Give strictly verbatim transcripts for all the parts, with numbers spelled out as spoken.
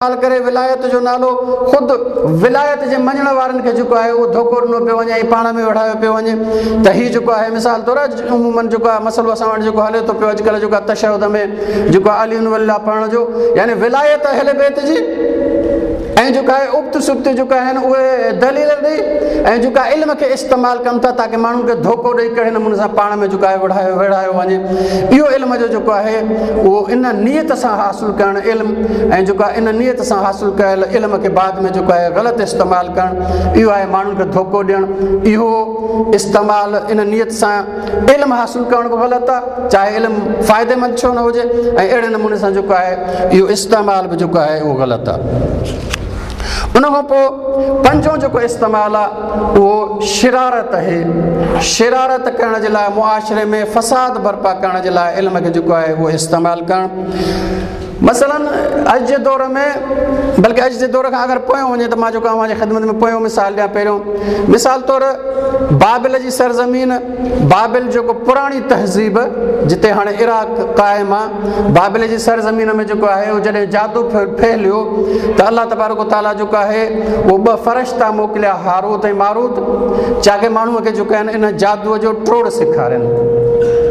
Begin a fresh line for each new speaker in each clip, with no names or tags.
करे विलायत जो नालो ख़ुदि विलायत जे मञण वारनि खे जेको आहे उहो धोखो ॾिनो पियो वञे ऐं पाण में वढ़ायो पियो वञे। त हीउ जेको आहे मिसाल तौरु उमूमन जेको आहे मसइलो असां वटि जेको हले थो पियो अॼुकल्ह जेको आहे तशहुद में जेको आहे अली वल्ला पढ़ण जो, यानी विलायत अहले बैत जी ऐं जेको आहे उब्त सुब्त जेका आहिनि उहे दलील ॾेई ऐं जेका इल्म खे इस्तेमालु कनि था ताकी माण्हुनि खे धोखो ॾेई कहिड़े नमूने सां पाण में जेको आहे वढ़ायो विढ़ायो वञे। इहो इल्म जो जेको आहे उहो इन नीयत सां हासिलु करणु इल्म ऐं जेको आहे इन नीयत सां हासिलु कयल इल्म खे बाद में जेको आहे ग़लति इस्तेमालु करणु, इहो आहे माण्हुनि खे धोखो ॾियणु। इहो इस्तेमालु इन नीयत सां इल्म हासिलु करणु बि ग़लति आहे, चाहे इल्म फ़ाइदेमंद छो न हुजे, ऐं अहिड़े नमूने सां जेको आहे इहो इस्तेमालु बि जेको आहे उहो ग़लति आहे। उन खां पोइ पंजों जेको इस्तेमालु आहे उहो शरारत आहे। शरारत करण जे लाइ मुआशरे में फसाद बर्पा करण जे लाइ इल्म खे जेको आहे उहो इस्तेमालु करणु। मसलन अॼु जे दौर में, बल्कि अॼु जे दौर खां अगरि पोयों वञे त मां जेको तव्हांजी ख़िदमत में पोयों मिसाल ॾियां। पहिरियों मिसाल तौरु बाबिल जी सरज़मीन, बाबिल जेको पुराणी तहज़ीब जिते हाणे इराक़ क़ाइमु आहे, बाबिल जी सरज़मीन में जेको आहे उहो जॾहिं जादू फैलियो त अलाह तबारक ताला जेको आहे उहो ॿ फ़रिश्ता मोकिलिया, हारूत ऐं मारूत, चाहे माण्हूअ खे जेको आहिनि इन जादूअ जो टोड़ सेखारनि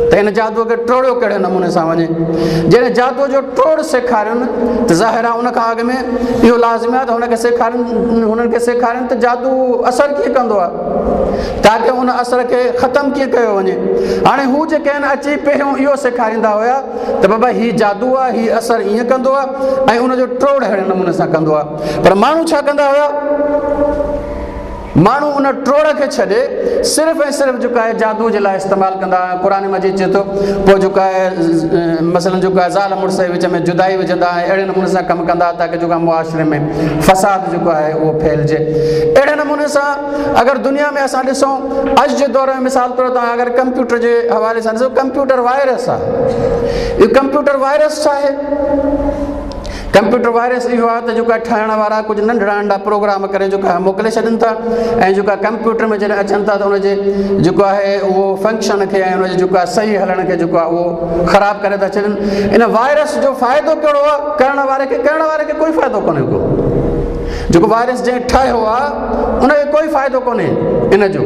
त इन जादूअ खे टोड़ियो कहिड़े नमूने सां वञे। जॾहिं जादूअ जो टोड़ सेखारनि त ज़ाहिर आहे उन खां अॻु में इहो लाज़िमी आहे त हुनखे सेखारनि हुननि खे सेखारनि त जादू असरु कीअं कंदो आहे, ताकी उन असर खे ख़तमु कीअं कयो वञे। हाणे हू जेके आहिनि अची पहिरियों इहो सेखारींदा हुया त बाबा हीउ जादू आहे, हीउ असरु ईअं कंदो आहे ऐं उनजो टोड़ अहिड़े नमूने सां कंदो आहे। पर माण्हू छा कंदा हुया, माण्हू उन टोड़ खे छॾे सिर्फ़ु ऐं सिर्फ़ु जेको आहे जादू जे लाइ इस्तेमालु कंदा हुआ। क़ुर मजीद चए थो पोइ जेको आहे मसलन जेको आहे ज़ाल मुड़ुस जे विच में जुदाई विझंदा ऐं अहिड़े नमूने सां कमु कंदा ताकी जेको आहे मुआशरे में फसाद जेको आहे उहो फैलिजे। अहिड़े नमूने सां अगरि दुनिया में असां ॾिसूं अॼु जे दौर में मिसाल तौरु तव्हां अगरि कंप्यूटर जे हवाले सां ॾिसो, कंप्यूटर वायरस आहे। इहो कंप्यूटर वायरस छा आहे? कंप्यूटर वायरस इहो आहे त जेको आहे ठाहिण वारा कुझु नंढड़ा नंढा प्रोग्राम करे जेको आहे मोकिले छॾनि था ऐं जेको आहे कंप्यूटर में जॾहिं अचनि था त हुनजे जेको आहे उहो फंक्शन खे ऐं हुनजे जेको आहे सही हलण खे जेको आहे उहो ख़राबु करे था छॾनि। इन वायरस जो फ़ाइदो कहिड़ो आहे? करण वारे खे करण वारे खे कोई फ़ाइदो कोन्हे को, जेको वायरस जंहिं ठाहियो आहे उनखे कोई फ़ाइदो कोन्हे इन जो,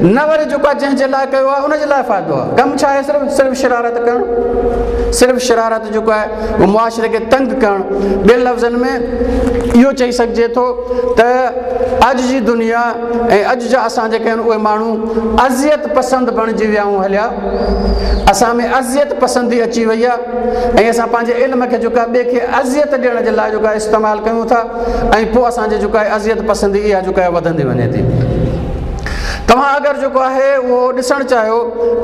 न वरी जेको आहे जंहिंजे लाइ कयो आहे उनजे लाइ फ़ाइदो आहे। कमु छा आहे? सिर्फ़ु सिर्फ़ु शरारत करणु, सिर्फ़ु शरारत जेको आहे उहो मुआशरे खे तंग करणु। ॿियनि लफ़्ज़नि में इहो चई सघिजे थो त अॼु जी दुनिया ऐं अॼु जा असां जेके आहिनि उहे माण्हू अज़ियत पसंदि बणिजी विया आहियूं हलिया, असां में अज़ियत पसंदी अची वई आहे ऐं असां पंहिंजे इल्म खे जेको आहे ॿिए खे अज़ियत ॾियण जे लाइ जेको आहे इस्तेमालु कयूं था ऐं पोइ असांजे जेको आहे अज़ियत पसंदी इहा जेको आहे वधंदी वञे थी। तव्हां अगरि जेको आहे उहो ॾिसणु चाहियो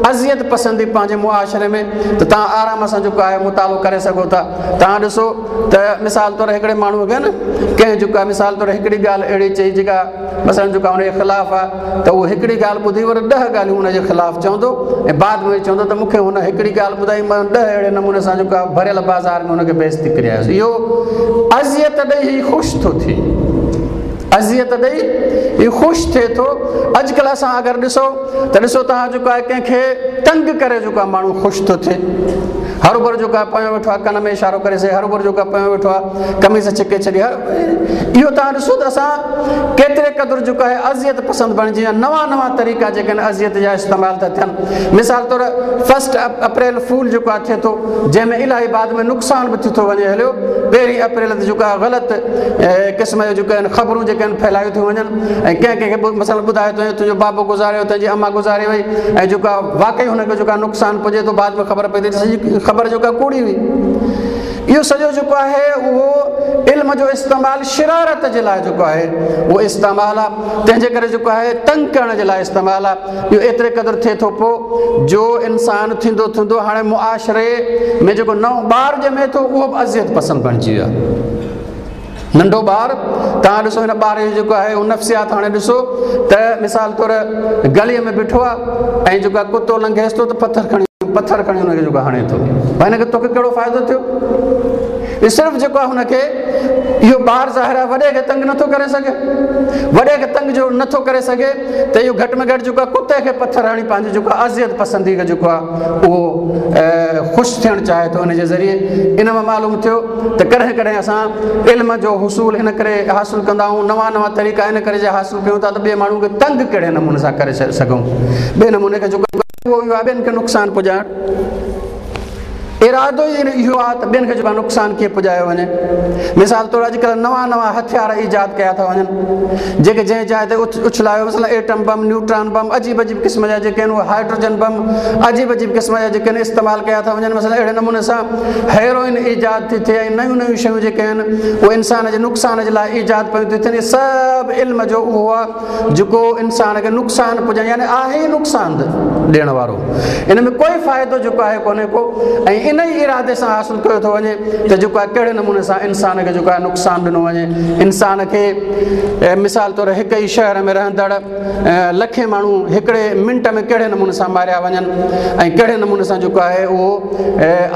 अज़ियत पसंदी पंहिंजे मुआशरे में त तव्हां आराम सां जेको आहे मुतालो करे सघो था। तव्हां ॾिसो त मिसाल तौरु हिकिड़े माण्हूअ खे न कंहिं जेको आहे मिसाल तौरु हिकिड़ी ॻाल्हि अहिड़ी चई जेका मसलन जेका हुनजे ख़िलाफ़ आहे त उहो हिकिड़ी ॻाल्हि ॿुधी वरी ॾह ॻाल्हियूं हुनजे ख़िलाफ़ चवंदो ऐं बाद में चवंदो त मूंखे हुन हिकिड़ी ॻाल्हि ॿुधाई, मां ॾह अहिड़े नमूने सां जेको आहे भरियल बाज़ार में हुनखे बेइज़ती करे आयुसि। इहो अज़ियत ॾेई ख़ुशि थो थिए, अज़ियत ॾेई इहो ख़ुशि थिए थो। अॼुकल्ह असां अगरि ॾिसो त ॾिसो तव्हां जेको आहे कंहिंखे तंग करे जेको आहे माण्हू ख़ुशि थो थिए। हरोभरो जेको आहे पयो वेठो आहे कन में इशारो करे सघे, हरोभरो जेको आहे पयो वेठो आहे कमीज़ छिके छॾी। हर इहो तव्हां ॾिसो त असां केतिरे क़दुरु जेको आहे अज़ियत पसंदि बणिजी विया। नवां नवां तरीक़ा जेके आहिनि अज़ियत जा इस्तेमालु था थियनि। मिसाल तौरु फर्स्ट अप्रैल फूल जेको आहे थिए थो, जंहिंमें इलाही बाद में नुक़सानु बि थी थो वञे हलियो। पहिरीं अप्रैल ते जेको आहे ग़लति क़िस्म जो जेको आहिनि ख़बरूं जेके आहिनि फैलायूं थियूं वञनि ऐं कंहिं कंहिंखे मसलन ॿुधायो थो वञे तुंहिंजो बाबो गुज़ारे वियो, तुंहिंजी अम्मा गुज़ारे वई ऐं जेको आहे वाकई हुनखे जेको आहे नुक़सानु पुॼे थो, बाद में ख़बर पए थी सॼी ख़बर जेका कूड़ी हुई। इहो सॼो जेको आहे उहो इल्म जो इस्तेमालु शरारत जे लाइ जेको आहे उहो इस्तेमालु आहे, तंहिंजे करे जेको आहे तंग करण जे लाइ इस्तेमालु आहे। इहो एतिरे क़दुरु थिए थो पोइ जो इंसानु थींदो थींदो हाणे मुआशरे में जेको नओं ॿारु ॼमे थो उहो बि अज़ियत पसंदि बणिजी वियो आहे। नंढो ॿारु तव्हां ॾिसो हिन ॿार जो जेको आहे उहो नफ़्सियात हाणे ॾिसो त मिसाल तौरु गलीअ में बीठो आहे ऐं जेको आहे कुतो लंघेसि थो त पथर खणी पथर खणी हुनखे जेको हाणे थो, भाई हिनखे तोखे कहिड़ो फ़ाइदो थियो? सिर्फ़ जेको आहे हुनखे इहो ॿार ज़ाहिर आहे वॾे खे तंग नथो करे सघे, वॾे खे तंग जो नथो करे सघे त इहो घटि में घटि जेको आहे कुते खे पथर हणी पंहिंजी जेको आहे अज़ियत पसंदी खे जेको आहे उहो ख़ुशि थियणु चाहे थो इन जे ज़रिए। इन मां मालूम थियो त कॾहिं कॾहिं असां इल्म जो हुसूल इन करे हासिलु कंदा आहियूं, नवां नवां तरीक़ा इन करे जे हासिलु कयूं था त ॿिए माण्हू खे तंग कहिड़े नमूने सां करे सघूं, ॿिए नमूने खे जेको उहो इहो आहे ॿियनि खे नुक़सानु पुॼाइण। इरादो ई इहो आहे त ॿियनि खे जेको नुक़सानु कीअं पुॼायो वञे। मिसाल तौरु अॼुकल्ह नवां नवां हथियार ईजाद कया था वञनि जेके जंहिं जाइ ते उछलायो, मसलन एटम बम, न्यूट्रॉन बम, अजीब अजीब क़िस्म जा जेके आहिनि उहे हाइड्रोजन बम, अजीब अजीब क़िस्म जा जेके आहिनि इस्तेमालु कया था वञनि। मसलन अहिड़े नमूने सां हेरोइन ईजाद थी थिए ऐं नयूं नयूं शयूं जेके आहिनि उहे इंसान जे नुक़सान जे लाइ ईजाद पयूं थी थियनि। इहे सभु इल्म जो उहो आहे जेको इंसान खे नुक़सानु पुॼाए, यानी आहे ई नुक़सानु ॾियण वारो, इन में कोई फ़ाइदो जेको आहे कोन्हे को। ऐं इन ई इरादे सां हासिलु कयो थो वञे त जेको आहे कहिड़े नमूने सां इंसान खे जेको आहे नुक़सानु ॾिनो वञे। इंसान खे मिसाल तौरु हिकु ई शहर में रहंदड़ लखे माण्हू हिकिड़े मिंट में कहिड़े नमूने सां मारिया वञनि ऐं कहिड़े नमूने सां जेको आहे उहो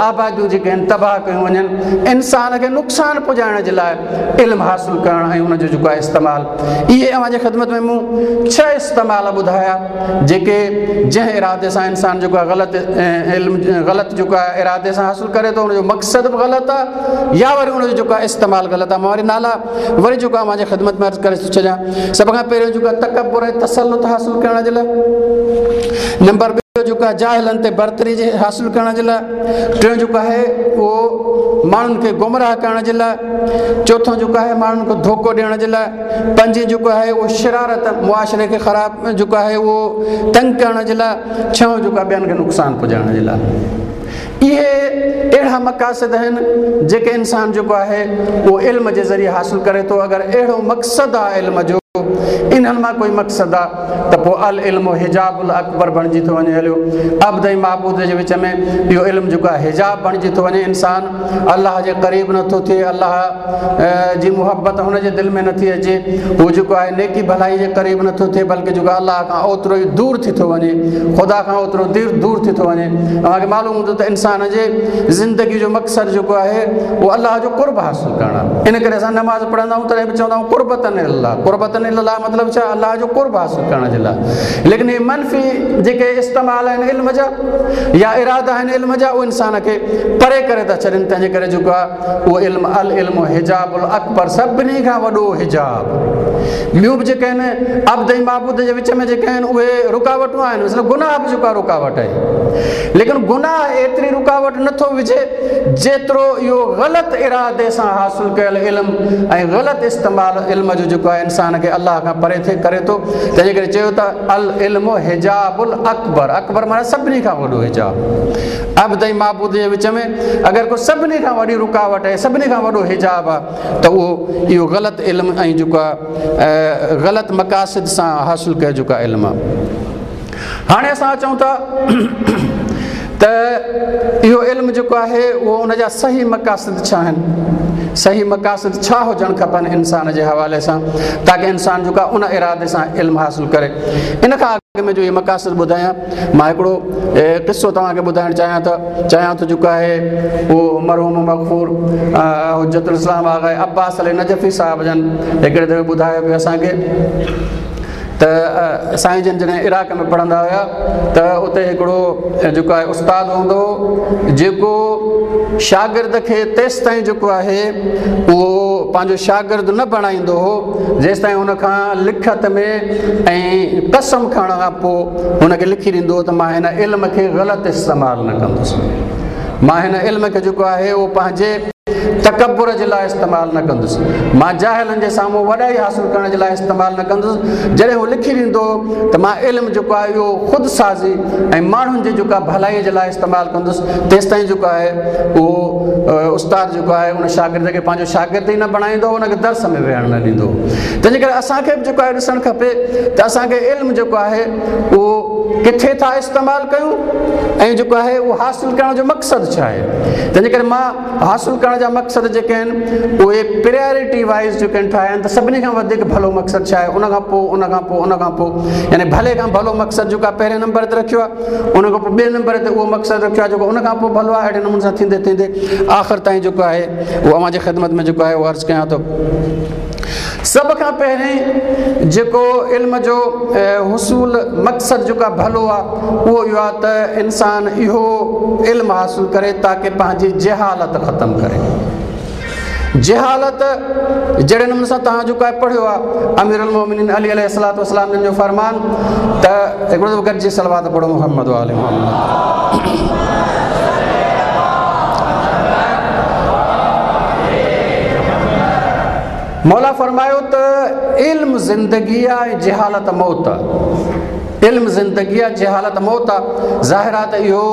आबादियूं जेके आहिनि तबाह कयूं वञनि। इंसान खे नुक़सानु पुॼाइण जे लाइ इल्मु हासिलु करणु ऐं हुनजो जेको आहे इस्तेमालु। इहे अव्हांजे ख़िदमत में मूं छह इस्तेमाल ॿुधाया जेके जंहिं इरादे सां इंसान जेको आहे ग़लति इल्मु ग़लति जेको आहे इरादे सां हासिलु करे थो हुनजो मक़सदु बि ग़लति आहे या वरी हुनजो जेको आहे इस्तेमालु ग़लति आहे। मां वरी नाला वरी जेको आहे अव्हांजे ख़िदमत में अर्ज़ु करे थो छॾियां। सभ खां पहिरियों जेको आहे तकबुर ऐं तसलुत हासिलु करण जे लाइ, नंबर ॿियो जेको आहे जाहिलनि ते बरतरी जे हासिलु करण जे लाइ, टियों जेको आहे उहो माण्हुनि खे गुमराह करण जे लाइ, चोथों जेको आहे माण्हुनि खे धोखो ॾियण जे लाइ, पंजीं जेको आहे उहो शरारत मुआशरे खे ख़राबु जेको आहे उहो तंग करण जे लाइ, छहों जेको आहे ॿियनि खे नुक़सानु पुॼाइण जे लाइ। इहे अहिड़ा मक़ासिद आहिनि जेके इंसान जेको आहे उहो इल्म जे ज़रिए हासिलु करे थो। अगरि अहिड़ो मक़सदु आहे इल्म जो, इन्हनि मां कोई मक़सदु आहे त पोइ अल इल्म हिजाबुल अकबर बणिजी थो वञे हलियो। अब्द ऐं महबूद जे विच में इहो इल्म जेको आहे हिजाब बणिजी थो वञे। इंसान अलाह जे क़रीब नथो थिए, अलाह जी मुहबत हुन जे दिलि में नथी अचे, हू जेको आहे नेकी भलाई जे क़रीब नथो थिए, बल्कि जेको अलाह खां ओतिरो ई दूर थी थो वञे, ख़ुदा खां ओतिरो दूर दूर थी थो वञे। तव्हांखे मालूम हूंदो त इंसान जे ज़िंदगी जो मक़सदु जेको आहे उहो अलाह जो क़ुर्ब हासिलु करणु आहे। इन करे असां नमाज़ पढ़ंदा आहियूं तॾहिं बि चवंदा आहियूं क़ुर्बतन अल्लाह, क़ुर्बतन अल्लाह मतिलबु छा अलाह जो क़ुर्ब हासिलु करण जे लाइ। लेकिन इहे मनफ़ी जेके इस्तेमाल आहिनि इल्म जा या इरादा आहिनि इल्म जा, उहे इंसान खे परे करे था छॾनि। तंहिंजे करे जेको आहे उहो इल्म अल इल्म हिजाबुल अकबर सभिनी खां वॾो हिजाब। ॿियूं बि जेके आहिनि अब्द ऐं महबूद जे विच में जेके आहिनि उहे रुकावटूं आहिनि, मतिलबु गुनाह बि जेको आहे रुकावट आहे, लेकिन गुनाह एतिरी रुकावट नथो विझे जेतिरो इहो ग़लति इरादे सां हासिलु कयल इल्म ऐं ग़लति इस्तेमालु इल्म जो जेको आहे इंसान खे अलाह खां परे थे करे थो। तंहिंजे करे चयो त अल इल्म हिजाबुल अकबर, अकबर माना सभिनी खां वॾो हिजाब। अब्द ऐं महबूद जे विच में अगरि को सभिनी खां वॾी रुकावट आहे, सभिनी खां वॾो हिजाब आहे त उहो इहो ग़लति इल्म ऐं जेको आहे ग़लति मक़ासिद सां हासिलु कयल जेको आहे इल्म आहे। हाणे असां अचूं था त इहो इल्म जेको आहे उहो उन जा सही मक़ासिद छा आहिनि, सही मक़ासिद छा हुजणु खपनि इंसान जे हवाले सां, ताकि इंसान जेको आहे उन इरादे सां इल्म हासिलु करे। इन खां अॻु में जो इहे मक़ासिद ॿुधायां, मां हिकिड़ो क़िसो तव्हांखे ॿुधाइणु चाहियां थो चाहियां थो जेको आहे उहो मरहूम मग़फ़ूर हुज्जतुल इस्लाम आगा अब्बास अली नजफ़ी साहिब जन हिकिड़े दफ़े ॿुधायो पियो असांखे त साईं जन जॾहिं इराक़ में पढ़ंदा हुया त उते हिकिड़ो जेको आहे उस्ताद हूंदो हो जेको शागिर्द खे तेसि ताईं जेको आहे उहो पंहिंजो शागिर्द न बणाईंदो हो जेसि ताईं हुनखां लिखत में ऐं कसम खणण खां पोइ हुनखे लिखी ॾींदो हो त मां हिन इल्म खे ग़लति इस्तेमालु न कंदुसि, मां हिन इल्म खे जेको आहे उहो पंहिंजे तकबुर जे लाइ इस्तेमालु न कंदुसि, मां जाहिलनि जे साम्हूं वॾाई हासिलु करण जे लाइ इस्तेमालु न कंदुसि। जॾहिं उहो लिखी ॾींदो त मां इल्मु जेको आहे इहो ख़ुदि साज़ी ऐं माण्हुनि जे जेको आहे भलाई जे लाइ इस्तेमालु कंदुसि, तेसि ताईं जेको आहे उहो उस्ताद जेको आहे उन शागिर्द खे पंहिंजो शागिर्द ई न बणाईंदो, हुनखे दर्स में वेहण न ॾींदो। तंहिंजे करे असांखे बि जेको आहे ॾिसणु खपे त असांखे इल्मु जेको आहे उहो किथे था इस्तेमालु कयूं ऐं जेको आहे उहो हासिलु करण जो मक़सदु छा आहे। तंहिंजे करे मां हासिलु करण پنهنجا مقصد جيڪي آهن اهي پرائرٽي وائيز جيڪي آهن ٺاهيا آهن ته سڀني کان وڌيڪ ڀلو مقصد ڇا آهي، ان کان پوءِ ان کان پوءِ ان کان پوءِ يعني ڀلي کان ڀلو مقصد جيڪو آهي پهرين نمبر تي رکيو آهي، ان کان پوءِ ٻئي نمبر تي اهو مقصد رکيو آهي جيڪو ان کان پوءِ ڀلو آهي. اهڙي نموني سان ٿيندي ٿيندي آخر تائين جيڪو آهي اهو اوهان جي خدمت ۾ جيڪو آهي اهو عرض ڪيان ٿو. سڀ کان پهرين جيڪو علم جو حصول مقصد جيڪو آهي ڀلو آهي اهو اهو آهي ته انسان اهو علم حاصل ڪري تاڪه پنهنجي جهالت ختم ڪري. جهالت جهڙي نموني سان توهان جيڪو آهي پڙهيو آهي امير المومنين علي عليه الصلوة والسلام جن جو فرمان ته هڪڙو دفعو گڏجي صلوات پڙهو محمد وآل محمد. مولا فرمايو ته علم زندگي آهي ۽ جهالت موت آهي. علم زندگي آهي، جهالت موت آهي. ظاهر آهي ته اهو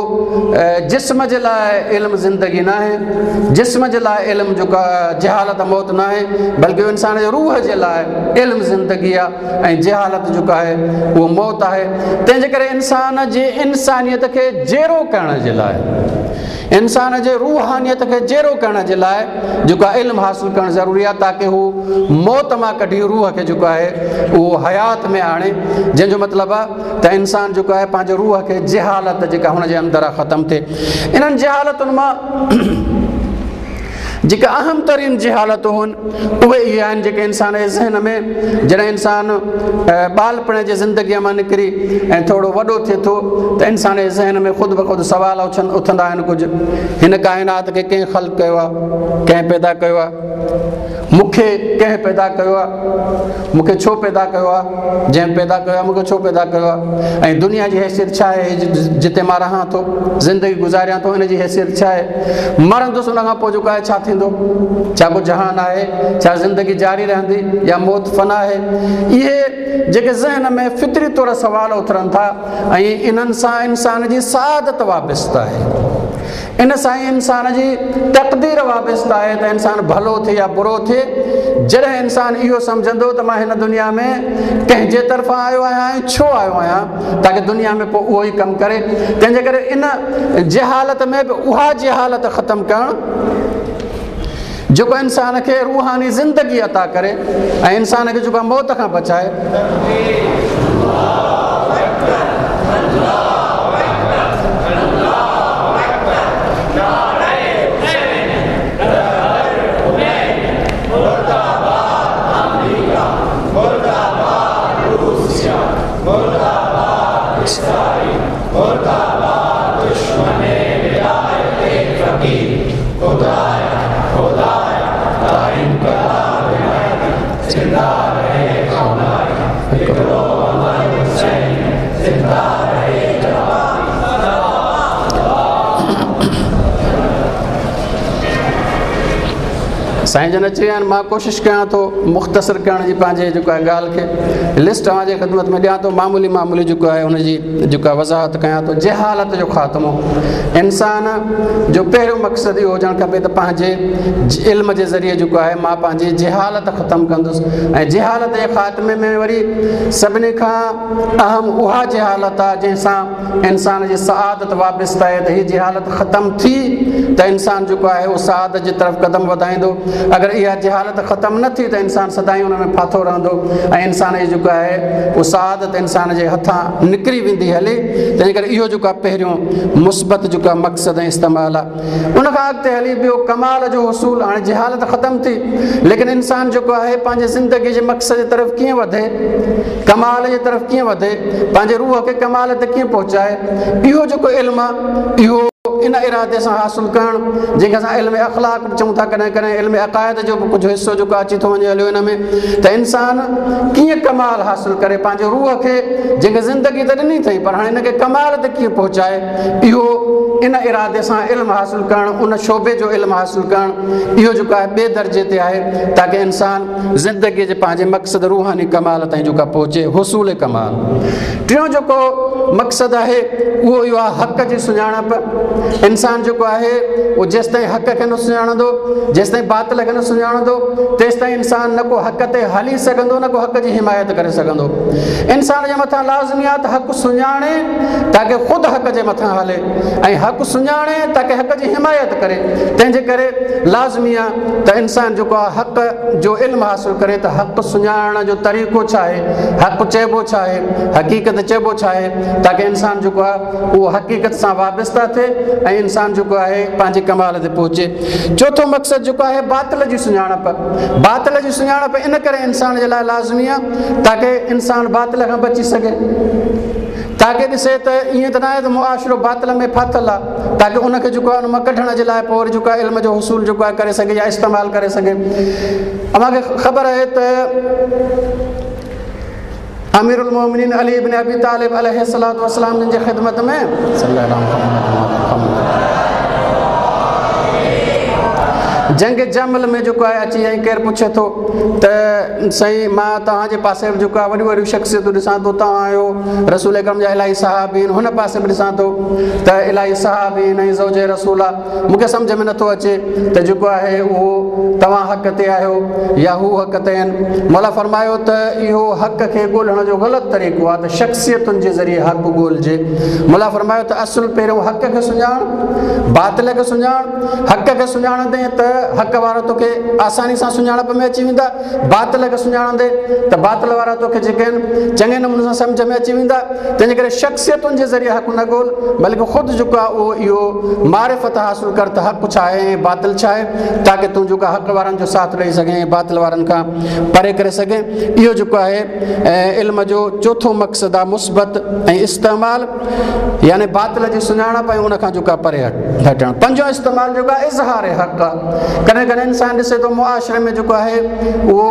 جسم جي لاءِ علم زندگي نه آهي، جسم جي لاءِ علم جيڪو آهي جهالت موت نه آهي، بلڪه اهو انسان جي روح جي لاءِ علم زندگي آهي ۽ جهالت جيڪو آهي اهو موت آهي. تنهن جي ڪري انسان جي انسانيت کي جيئرو ڪرڻ جي لاءِ، انسان جي روحانيت کي جيئرو ڪرڻ جي لاءِ جيڪو آهي علم حاصل ڪرڻ ضروري آهي تاڪه هو موت مان ڪڍي روح کي جيڪو آهي اهو حيات ۾ آڻي. جنهن جو مطلب آهي ته انسان جيڪو آهي پنهنجي روح کي جهالت جيڪا هن جي اندر آهي ختم ٿئي. انهن جهالتن مان جيڪا اهم ترين جهالتون آهن اهي اهي آهن جيڪي انسان جي ذهن ۾ جڏهن انسان ٻالپڻ جي زندگيءَ مان نڪري ۽ ٿورو وڏو ٿئي ٿو ته انسان جي ذهن ۾ خود بخود سوال اڇن اٿندا آهن ڪجهه. هن ڪائنات کي ڪنهن خلق ڪيو آهي، ڪنهن پيدا ڪيو آهي، مون کي ڪنهن پيدا ڪيو آهي، مون کي ڇو پيدا ڪيو آهي، جنهن پيدا ڪيو آهي مون کي ڇو پيدا ڪيو آهي، ۽ دنيا جي حيثيت ڇا آهي، جتي مان رهان ٿو زندگي گذاريان ٿو ان جي حيثيت ڇا آهي، مرندس ان کان پوءِ جيڪو آهي ڇا ٿيندو، ڇا ڪو جهان آهي، ڇا زندگي جاري رهندي يا موت فنا آهي. اهي جيڪي ذهن ۾ فطري طور سوال اٿرن ٿا ۽ انهن سان انسان جي سعادت وابسته آهي، ان سان ئي انسان جي تقدير وابسته آهي ته انسان ڀلو ٿئي يا برو ٿئي. جڏهن انسان اهو سمجهندو ته مان هن دنيا ۾ ڪنهن جي طرفان آيو آهيان ۽ ڇو آيو آهيان تاڪه دنيا ۾ پوءِ اهو ئي ڪم ڪري، تنهن جي ڪري ان جهالت ۾ به اها جهالت ختم ڪرڻ جيڪو انسان کي روحاني زندگي عطا ڪري ۽ انسان کي جيڪو موت کان بچائي. سائين جن اچي ويا آهن، مان ڪوشش ڪيان ٿو مختصر ڪرڻ جي پنهنجي جيڪو آهي ڳالهه کي لسٽ اوهان جي خدمت ۾ ڏيان ٿو، معمولي معمولي جيڪو آهي ان جي جيڪا وضاحت ڪيان ٿو. جهالت جو خاتمو، انسان جو پهريون مقصد اهو هجڻ کپي ته پنهنجي علم جي ذريعي جيڪو آهي مان پنهنجي جهالت ختم ڪندس ۽ جهالت جي خاتمي ۾ وري سڀني کان اهم اها جهالت آهي جنهن سان انسان جي سعادت وابسته آهي ته هيءَ جهالت ختم ٿي ته انسان جيڪو آهي اهو سعادت جي طرف قدم وڌائيندو. اگر اها جهالت ختم نه ٿي ته انسان سدائين ان ۾ ڦاٿو رهندو ۽ انسان جي جيڪو آهي اهو سعادت انسان جي هٿان نڪري ويندي هلي. تنهن ڪري اهو جيڪو آهي پهريون مثبت جيڪو آهي مقصد ۽ استعمال آهي. ان کان اڳتي هلي ٻيو ڪمال جو حصول. هاڻي جهالت ختم ٿي ليڪن انسان جيڪو آهي پنهنجي زندگي جي مقصد جي طرف ڪيئن وڌي، ڪمال جي طرف ڪيئن وڌي، پنهنجي روح کي ڪمال تي ڪيئن پهچائي، اهو جيڪو علم آهي اهو ان ارادي سان حاصل ڪرڻ جنهن کي اسان علم اخلاق به چئون ٿا، ڪڏهن ڪڏهن علم عقائد جو به ڪجهه حصو جيڪو اچي ٿو وڃي هليو هن ۾ ته انسان ڪيئن ڪمال حاصل ڪري پنهنجي روح کي جنهن کي زندگي ته ڏني اٿئي پر هاڻي هن کي ڪمال تي ڪيئن پهچائي، اهو ان ارادي سان علم حاصل ڪرڻ، ان شعبي جو علم حاصل ڪرڻ اهو جيڪو آهي ٻئي درجي تي آهي تاڪه انسان زندگيءَ جي پنهنجي مقصد روحاني ڪمال تائين جيڪو آهي پهچي، حصول ڪمال. ٽيون جيڪو مقصد آهي اهو اهو آهي حق جي سڃاڻپ. انسان جيڪو آهي اهو جيستائين حق کي نه سڃاڻندو، جيستائين باطل کي نه سڃاڻندو، تيستائين انسان نه ڪو حق تي هلي سگهندو نه ڪو حق جي حمايت ڪري سگهندو. انسان جي مٿان لازمي آهي ته حق سڃاڻي تاڪه خود حق جي مٿان هلي ۽ حق सुञाणे ताकी हक़ जी हिमायत करे। तंहिंजे करे लाज़मी आहे त इंसान जेको आहे हक़ जो इल्मु हासिलु करे त हक़ सुञाणण जो तरीक़ो छा आहे, हक़ चइबो छा आहे, हक़ीक़त चइबो छा आहे, ताकी इंसान जेको आहे उहो हक़ीक़त सां वाबस्ता थिए ऐं इंसान जेको आहे पंहिंजे कमाल ते पहुचे। चोथों मक़सदु जेको आहे बातिल जी सुञाणप। बातिल जी सुञाणप इन करे इंसान जे लाइ लाज़मी आहे ताकी इंसान बातिल खां बची सघे, ताकी ॾिसे त ईअं त न आहे त मुआशिरो बातिल में फाथिल आहे, ताकी उनखे जेको आहे उन मां कढण जे लाइ पोइ वरी जेको आहे इल्म जो हुसूल जेको आहे करे सघे या इस्तेमालु करे सघे। अव्हांखे ख़बर आहे त अमीरुल मोमिनीन अली इब्न अबी तालिब अलैहिस्सलातु वस्सलाम जिन जी ख़िदमत में जंग जमल में जेको आहे अची ऐं केरु पुछे थो त साईं मां तव्हांजे पासे बि जेको आहे वॾियूं वॾियूं शख़्सियतूं ॾिसां थो, तव्हां आहियो रसूल अकरम जा इलाही साहब आहिनि, हुन पासे बि ॾिसां थो त इलाही साहब आहिनि ऐं ज़ौज रसूल आहे, मूंखे सम्झ में नथो अचे त जेको आहे उहो तव्हां हक़ ते आहियो या हू हक़ ते आहिनि। मौला फरमायो त इहो हक़ खे ॻोल्हण जो ग़लति तरीक़ो आहे त शख़्सियतुनि जे ज़रिए हक़ ॻोल्हिजे। मौला फरमायो त असुलु पहिरियों हक़ खे सुञाण, बातिल खे सुञाण, हक़ खे सुञाणंदे त हक़ वारो तोखे आसानी सां सुञाणप में अची वेंदा, बातिल खे सुञाणंदे त बातिल वारा तोखे जेके आहिनि चङे नमूने सां सम्झ में अची वेंदा। तंहिंजे करे शख़्सियतुनि जे ज़रिए हक़ न ॻोल्हि, बल्कि ख़ुदि जेको आहे उहो इहो मारिफ़त हासिलु कर त हक़ छा आहे ऐं बातिल छा आहे, ताकी तूं जेको आहे हक़ वारनि जो साथ ॾेई सघें ऐं बातिल वारनि खां परे करे सघें। इहो जेको आहे इल्म जो चोथों मक़सदु आहे मुस्बत ऐं इस्तेमालु, यानी बातिल जी सुञाणप ऐं उन खां जेको आहे परे हटणु। पंजों इस्तेमालु जेको आहे इज़हार हक़ आहे। कॾहिं कॾहिं इंसान ॾिसे थो मुआशिरे में जेको आहे उहो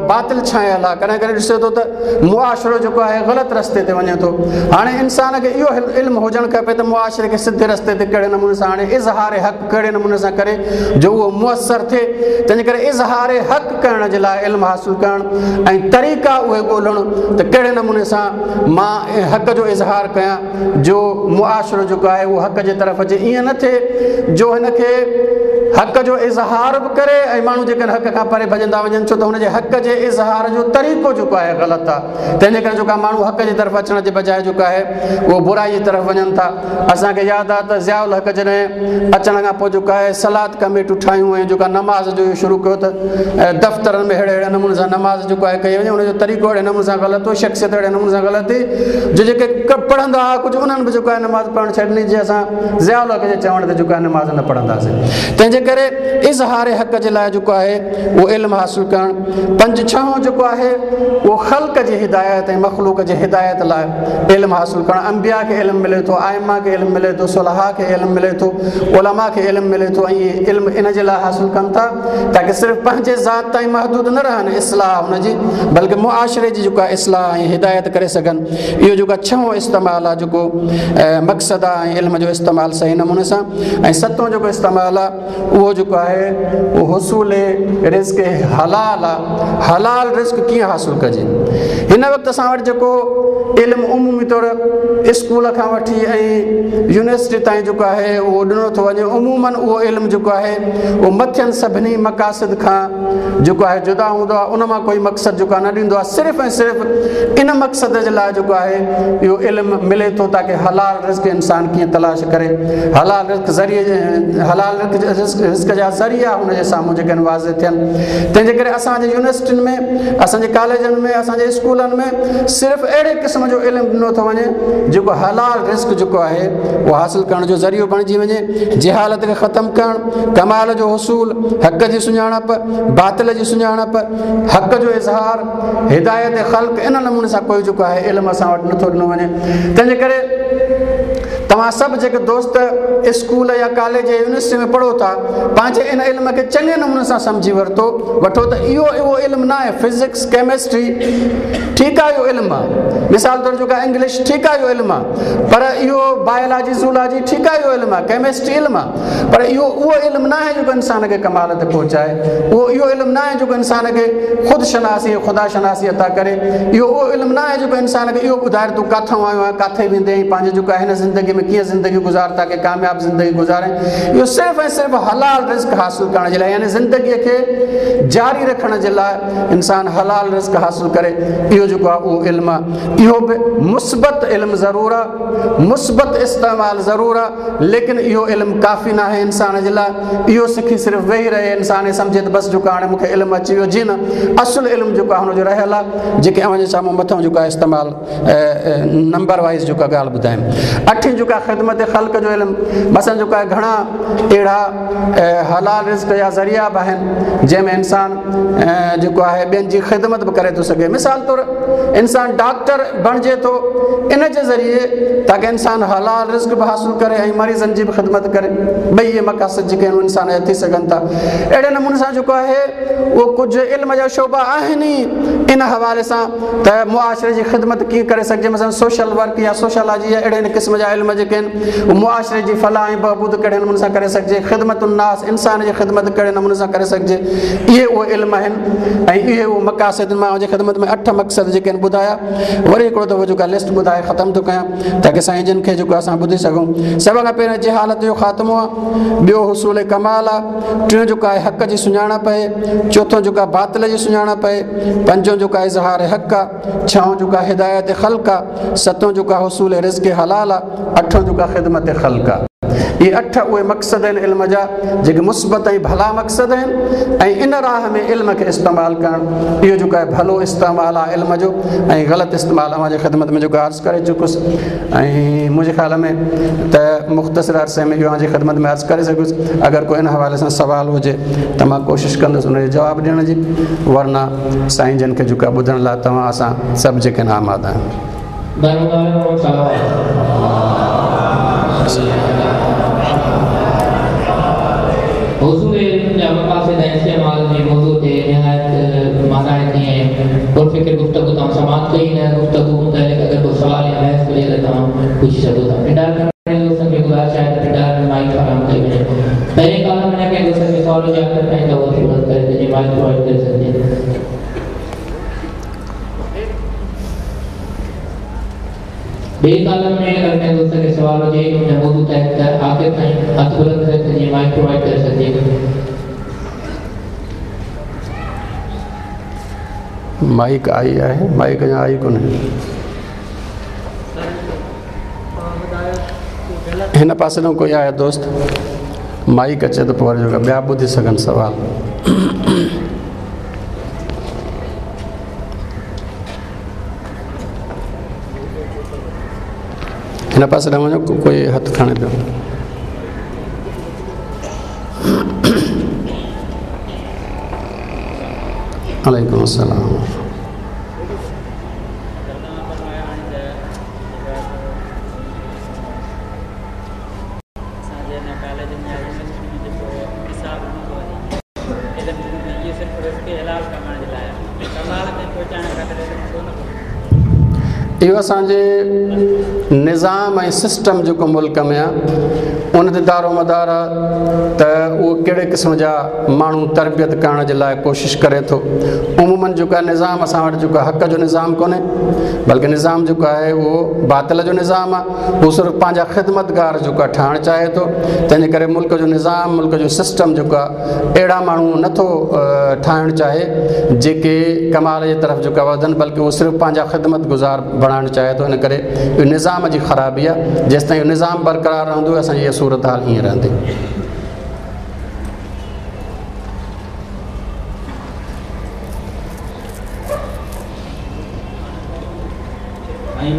बातिल छायल आहे, कॾहिं कॾहिं ॾिसे थो त मुआशिरो जेको आहे ग़लति रस्ते ते वञे थो। हाणे इंसान खे इहो इल्मु हुजणु खपे त मुआशिरे खे सिधे रस्ते ते कहिड़े नमूने सां आणे, इज़हार हक़ कहिड़े नमूने सां करे जो उहो मुअसर थिए। तंहिंजे करे इज़हार हक़ करण जे लाइ इल्मु हासिलु करणु ऐं तरीक़ा उहे ॻोल्हणु त कहिड़े नमूने सां मां हक़ जो इज़हार कयां जो मुआशिरो जेको आहे उहो हक़ जे तरफ़ अचे। ईअं न थिए जो हिनखे हक़ जो इज़हार बि करे ऐं माण्हू जेके हक़ खां परे भॼंदा वञनि, छो त हुनजे हक़ जे इज़हार जो तरीक़ो जेको आहे ग़लति आहे। तंहिंजे करे जेको माण्हू हक़ जे तरफ़ अचण जे बजाए जेको आहे उहो बुराई जे तरफ़ वञनि था। असांखे यादि आहे त ज़ियाउल हक़ जॾहिं अचण खां पोइ जेको आहे सलात कमेटियूं ठाहियूं ऐं जेको नमाज़ जो शुरू कयो त दफ़्तरनि में अहिड़े अहिड़े नमूने सां नमाज़ जेको आहे कई वञे, हुनजो तरीक़ो अहिड़े नमूने सां ग़लति हो, शख़्सियत अहिड़े नमूने सां ग़लति हुई जो जेके पढ़ंदा हुआ कुझु उन्हनि बि जेको आहे नमाज़ पढ़णु छॾी ॾिनी, जे असां ज़ियाउल हक़ जे चवण ते जेको आहे नमाज़ न पढ़ंदासीं। तंहिंजे करे इज़हार हक़ जे लाइ जेको आहे उहो इल्मु हासिलु करणु। पंज छहों जेको आहे उहो ख़ल्क़ जी हिदायत ऐं मख़लूक जी हिदायत लाइ इल्मु हासिलु करणु। अंबिया खे इल्मु मिले थो, आइमा खे इल्मु मिले थो, सुलहा खे इल्मु मिले थो, उलमा खे इल्मु मिले थो ऐं इहे इल्मु इन जे लाइ हासिलु कनि था ताकी सिर्फ़ु पंहिंजे ज़ात ताईं महदूद न रहनि इस्लाह हुनजी, बल्कि मुआशिरे जी जेको आहे इस्लाह ऐं हिदायत करे सघनि। इहो जेको आहे छहों इस्तेमालु आहे जेको मक़सदु आहे ऐं इल्म जो इस्तेमालु सही नमूने सां। ऐं सतों जेको इस्तेमालु आहे उहो जेको आहे उहो हुसूल रिज़्क हलाल आहे। हलाल रिज़्क कीअं हासिलु कजे? हिन वक़्तु असां वटि जेको इल्मु उमूमी तौर स्कूल खां वठी ऐं यूनिवर्सिटी ताईं जेको आहे उहो ॾिनो थो वञे, उमूमन उहो इल्मु जेको आहे उहो मथियनि सभिनी मक़ासिद खां जेको आहे जुदा हूंदो आहे, उन मां कोई मक़सदु जेको आहे न ॾींदो आहे। सिर्फ़ु ऐं सिर्फ़ु इन मक़सद जे लाइ जेको आहे इहो इल्मु मिले थो ताकी हलाल रिज़्क इंसान कीअं तलाश करे, हलाल रिज़्क ज़रिए हलाल रिज़्क रिज़्क जा ज़रिया हुनजे साम्हूं जेके आहिनि वाज़े थियनि। तंहिंजे करे असांजे यूनिवर्सिटियुनि में, असांजे कॉलेजनि में, असांजे स्कूलनि में सिर्फ़ु अहिड़े क़िस्म जो इल्मु ॾिनो थो वञे जेको हलाल रिज़्क जेको आहे उहो हासिलु करण जो ज़रियो बणिजी वञे। जहालत खे ख़तमु करणु, कमाल जो हुसूल, हक़ जी सुञाणप, बातिल जी सुञाणप, हक़ जो इज़हार, हिदायत ख़ल्क़, इन नमूने सां कोई जेको आहे इल्मु असां वटि नथो ॾिनो वञे। तंहिंजे करे तव्हां सभु जेके दोस्त स्कूल या कॉलेज या यूनिवर्सिटी में पढ़ो था, पंहिंजे इन इल्म खे चङे नमूने सां सम्झी वरितो वठो त इहो उहो इल्मु न आहे। फिज़िक्स, केमिस्ट्री ठीकु आहे, इहो इल्मु आहे। मिसाल तौर जेको आहे इंग्लिश ठीकु आहे, इहो इल्मु आहे, पर इहो बायोलॉजी ज़ूलॉजी ठीकु आहे, इहो इल्मु आहे, केमिस्ट्री इल्मु आहे, पर इहो उहो इल्मु न आहे जेको इंसान खे कमाल ते पहुचाए। उहो इहो इल्मु न आहे जेको इंसान खे ख़ुदि शनासी ख़ुदा शनासी अता करे। इहो उहो इल्मु न आहे जेको इंसान खे इहो ॿुधाए तूं किथां आयो आहीं, किथे वेंदे, पंहिंजे जेको आहे हिन ज़िंदगी में कीअं ज़िंदगी गुज़ार ताकी कामयाब ज़िंदगी गुज़ारें। इहो सिर्फ़ ऐं सिर्फ़ हलाल रिज़्क हासिल करण जे लाइ, यानी ज़िंदगीअ खे जारी रखण जे लाइ इंसान हलाल रिज़्क हासिल करे, इहो जेको आहे उहो इल्मु आहे। इहो बि मुस्बत इल्मु ज़रूरु आहे, मुस्बत इस्तेमाल ज़रूरु आहे, लेकिन इहो इल्मु काफ़ी न आहे इंसान जे लाइ। इहो सिखी सिर्फ़ वेही रहे इंसान सम्झे त बसि जेको हाणे मूंखे इल्मु अची वियो, जी न, असुलु इल्मु जेको आहे हुनजो रहियलु आहे, जेके अव्हांजे साम्हूं मथां जेको आहे इस्तेमाल नंबर वाइज़ जेको ॻाल्हि ॿुधायुमि। अठीं जेको आहे ख़िदमत ख़ल्क़ जो इल्मु, मसलन जेको आहे घणा अहिड़ा हलाल रिज़्क जा ज़रिया बि आहिनि जंहिंमें इंसान जेको आहे ॿियनि जी ख़िदमत बि करे थो सघे। मिसाल तौरु इंसान डॉक्टर बणिजे थो इन जे ज़रिए ताकि इंसान हलाल रिज़्क बि हासिल करे ऐं मरीज़नि जी बि ख़िदमत करे, ॿई इहे मक़ासिद जेके आहिनि इंसान जा थी सघनि था। अहिड़े नमूने सां जेको आहे उहो कुझु इल्म जा शोबा आहिनि ई इन हवाले सां त मुआशरे जी ख़िदमत कीअं करे सघिजे, मसलन सोशल वर्क या सोशलॉजी या अहिड़े क़िस्म जा इल्म जेके आहिनि उहो मुआशरे जी फलाह ऐं बहबूद कहिड़े नमूने सां करे सघिजे, ख़िदमतुन-नास इंसान जी ख़िदमत कहिड़े नमूने सां करे सघिजे, इहे उहे इल्म आहिनि ऐं इहे उहे मक़ासिद। मां मुंहिंजी ख़िदमत में अठ मक़सद जेके आहिनि ॿुधाया, वरी हिकिड़ो दफ़ो जेको लिस्ट ॿुधाए ख़तमु थो कयां ताकि साईं जन खे जेको असां ॿुधी सघूं। सभ खां पहिरियों जहालत जो ख़ात्मो आहे, ॿियो हुसूल कमाल आहे, टियों जेको आहे हक़ जी सुञाणप आहे, चोथों जेको आहे बातिल जी सुञाणप आहे, पंजों जेको आहे इज़हार हक़ आहे, छहों जेको आहे हिदायत ख़ल्क़ आहे, सतों जेको आहे हुसूल रिज़्क हलाल आहे, अठों जेको आहे ख़िदमत ख़ल्क़ आहे। इहे अठ उहे मक़सद आहिनि इल्म जा जेके मुस्बत ऐं भला मक़सद आहिनि ऐं इन राह में इल्म खे इस्तेमालु करणु इहो जेको आहे भलो इस्तेमालु आहे इल्म जो ऐं ग़लति इस्तेमालु अव्हांजे ख़िदमत में जेको अर्ज़ु करे चुकुसि ऐं मुंहिंजे ख़्याल में त मुख़्तसिर अरसे में इहो अव्हांजी ख़िदमत में अर्ज़ु करे सघुसि। अगरि को इन हवाले सां सवाल हुजे त मां कोशिशि कंदुसि उनजो जवाबु ॾियण जी, वरना साईं जन खे जेको आहे ॿुधण लाइ तव्हां असां सभु जेके आहिनि आमादा आहियूं।
हुज़ूर इल्म जा मक़ासिद ऐं इस्तेमाल जे मौज़ू ते निहायत मानाइती ऐं पुरफ़िक्र गुफ्तगू तव्हां समाप्त कई। हिन गुफ्तगू मुतालिक़ अगरि को सवाल या बहस हुजे त तव्हां पुछी सघो था। पिंडार दोस्तनि खे गुज़ारिश आहे त पिंडार में माइक फराहम कई वञे। पहिरीं कॉलम में कंहिं दोस्त खे सवाल हुजे आख़िर ताईं त उहो सूरत करे त जीअं माइक प्रोवाइड करे सघिजे। ॿिए कॉलम में अगरि कंहिं दोस्त खे सवाल हुजे हिन मौज़ू तहत त आख़िर ताईं हथु बुलंद करे त जीअं माइक प्रोवाइड करे सघिजे।
माइक I आहे, माइक अञा आई कोन्हे। हिन पासे ॾांहुं कोई आहे दोस्त? माइक अचे त पोइ वरी जेको ॿिया ॿुधी सघनि सवाल। हिन पासे ॾांहुं वञो, कोई हथु खणे पियो। वालेकुम अस्सलाम। इहो असांजे निज़ाम ऐं सिस्टम जेको मुल्क में आहे उन ते दारो मदार आहे त उहो कहिड़े क़िस्म जा माण्हू तरबियत करण जे लाइ कोशिशि करे थो। उमूमन जेको आहे निज़ाम असां वटि जेको आहे हक़ जो निज़ाम कोन्हे, बल्कि निज़ाम जेको आहे उहो बातिल जो निज़ाम आहे। उहो सिर्फ़ु पंहिंजा ख़िदमतगार जेको आहे ठाहिण चाहे थो। तंहिंजे करे मुल्क जो निज़ाम, मुल्क जो सिस्टम जेको आहे अहिड़ा माण्हू नथो ठाहिण चाहे जेके कमाल जे तरफ़ जेको आहे वधनि, बल्कि उहो सिर्फ़ु पंहिंजा ख़िदमत गुज़ार बणाइण चाहे थो। इन करे इहो निज़ाम जी ख़राबी आहे। जेसि ताईं इहो निज़ाम बरक़रार रहंदो असांजी इहा सूरत हाल ईअं रहंदी।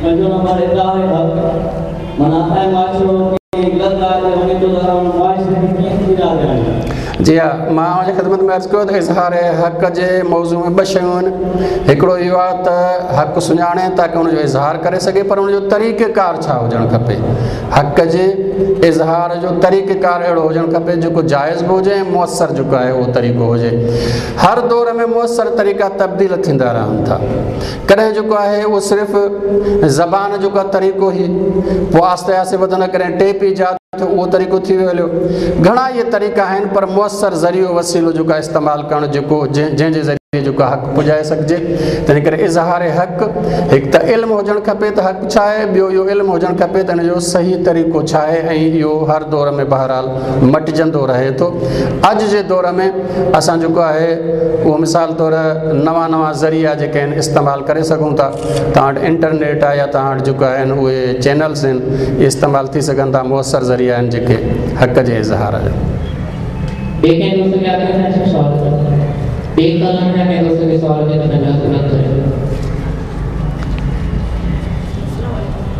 पंजों नंबर इज़हार हक़, माना असांजे मुआशिरो ग़लति ॻाल्हि ते वञे थो त मुआशिरे खे कीअं सुधारे वञे।
जी हा, मां अव्हांजी ख़िदमत में अर्ज़ु कयो त इज़हार हक़ जे मौज़ू में ॿ शयूं आहिनि। हिकिड़ो इहो आहे त हक़ सुञाणे ताकि हुनजो इज़हार करे सघे, पर हुनजो तरीक़ेकार छा हुजणु खपे। हक़ जे इज़हार जो तरीक़ेकार अहिड़ो हुजणु खपे जेको जाइज़ बि हुजे ऐं मुअसर जेको आहे उहो तरीक़ो हुजे। हर दौर में मुअसर तरीक़ा तब्दील थींदा रहनि था। कॾहिं जेको आहे उहो सिर्फ़ु ज़बान जो का तरीक़ो ही, पोइ आहिस्ते आहिस्ते वधंदा, कॾहिं टेप ईजाद थियो उहो तरीक़ो थी वियो हलियो। घणा इहे तरीक़ा आहिनि, पर मुअसर ज़रियो वसीलो जेको आहे इस्तेमालु करणु जेको जंहिं जंहिंजे ज़रिए ذريعي जेको हक़ पुॼाए सघिजे। तंहिं करे इज़हार हक़ हिकु त इल्मु हुजणु खपे त हक़ छा आहे, ॿियो इहो इल्मु हुजणु खपे त हिन जो सही तरीक़ो छा आहे। ऐं इहो हर दौर में बहरहाल मटिजंदो रहे थो। अॼु जे दौर में असां जेको आहे उहो मिसाल तौर नवां नवां ज़रिया जेके आहिनि इस्तेमालु करे सघूं था। तव्हां वटि इंटरनेट आहे या तव्हां वटि जेको आहिनि उहे चैनल्स आहिनि, इस्तेमालु थी सघनि था, मुअसर ज़रिया आहिनि जेके हक़ जे इज़हार जा।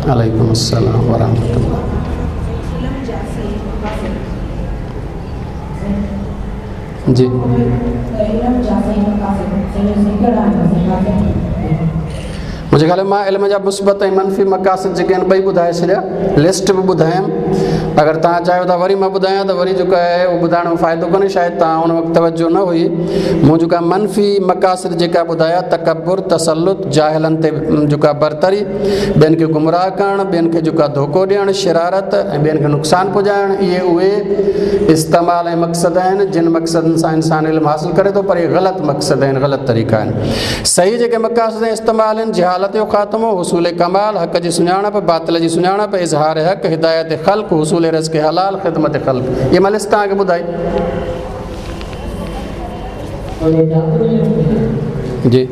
वालेकुम अस्सलाम वरहमतुल्लाह। जी मुंहिंजे ख़्याल में मां इल्म जा मुस्बत ऐं मनफ़ी मक़ासिद जेके आहिनि ॿई ॿुधाए छॾिया, लिस्ट बि ॿुधायमि। अगरि तव्हां चाहियो था वरी मां ॿुधायां त वरी जेको आहे उहो ॿुधाइण में फ़ाइदो कोन्हे, शायदि तव्हां उन वक़्तु तवजो न हुई। मूं जेका मनफ़ी मक़ासिद जेका ॿुधाया, तकबुर, तसलुत, जाहिलनि ते जेका बरतरी, ॿियनि खे गुमराह करणु, ॿियनि खे जेको धोखो ॾियणु, शरारत ऐं ॿियनि खे नुक़सानु पुॼाइणु, इहे उहे इस्तेमाल ऐं मक़सद आहिनि जिन मक़सदनि सां इंसानु इल्मु हासिलु करे थो, पर इहे ग़लति मक़सद आहिनि, ग़लति तरीक़ा आहिनि। सही जेके मक़ासिद ऐं इस्तेमाल आहिनि, जहालत जो ख़ात्मो, हुसूल कमाल, हक़ जी सुञाणप, बातिल जी सुञाणप, इज़हार हक़, हिदायत ख़ल्क़, हुसूल रिज़्क़ हलाल, ख़िदमत ख़ल्क़। इहे मां लिस्ट तव्हांखे ॿुधाई। जी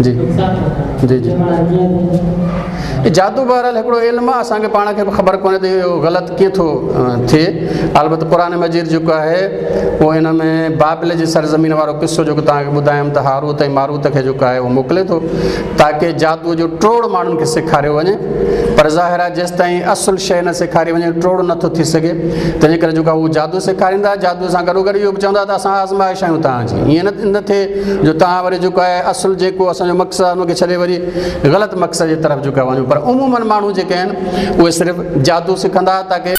जी जी जी जादू बहरहाल हिकिड़ो इल्मु आहे, असांखे पाण खे बि ख़बर कोन्हे त इहो ग़लति कीअं थो थिए। अलबत क़ुरान मजीद जेको आहे उहो हिन में बाबिल जी सरज़मीन वारो किसो जेको तव्हांखे ॿुधायुमि त हारूत ऐं मारूत खे जेको आहे उहो मोकिले थो ताकी जादूअ जो टोड़ माण्हुनि खे सेखारियो वञे, पर ज़ाहिर आहे जेसि ताईं असुलु शइ न सेखारी वञे टोड़ नथो थी सघे। तंहिंजे करे जेको आहे उहो जादू सेखारींदा, जादू सां गॾोगॾु इहो बि चवंदा त असां आज़माइश आहियूं तव्हांजी, ईअं न न थिए जो तव्हां वरी जेको आहे असुलु जेको असांजो मक़सदु आहे उनखे छॾे वरी ग़लति मक़सद जे तरफ़ जेको आहे वञो। पर उमूमन माण्हू जेके आहिनि उहे सिर्फ़ु जादू सिखंदा ताकी